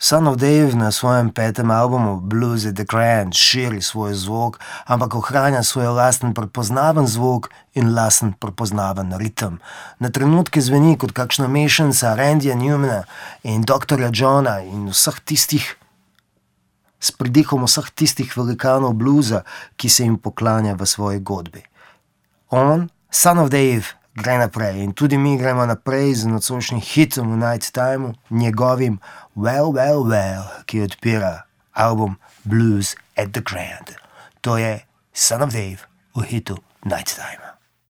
Son of Dave na svojem 5. albumu Blues at the Grand širi svoj zvok, ampak ohranja svoj lasten prepoznaven zvok in lasten prepoznaven ritem. Na trenutke zveni kot kakšna mešanca Randyja Newmana in Dr. Johna in vseh tistih, s pridihom vseh tistih velikanov bluza, ki se jim poklanja v svoji godbi. On, Son of Dave, gre naprej in tudi mi gremo naprej z nocojšnjim hitom v Night Timeu, njegovim Well, Well, Well, ki odpira album Blues at the Grand. To je Son of Dave v hitu Night Time.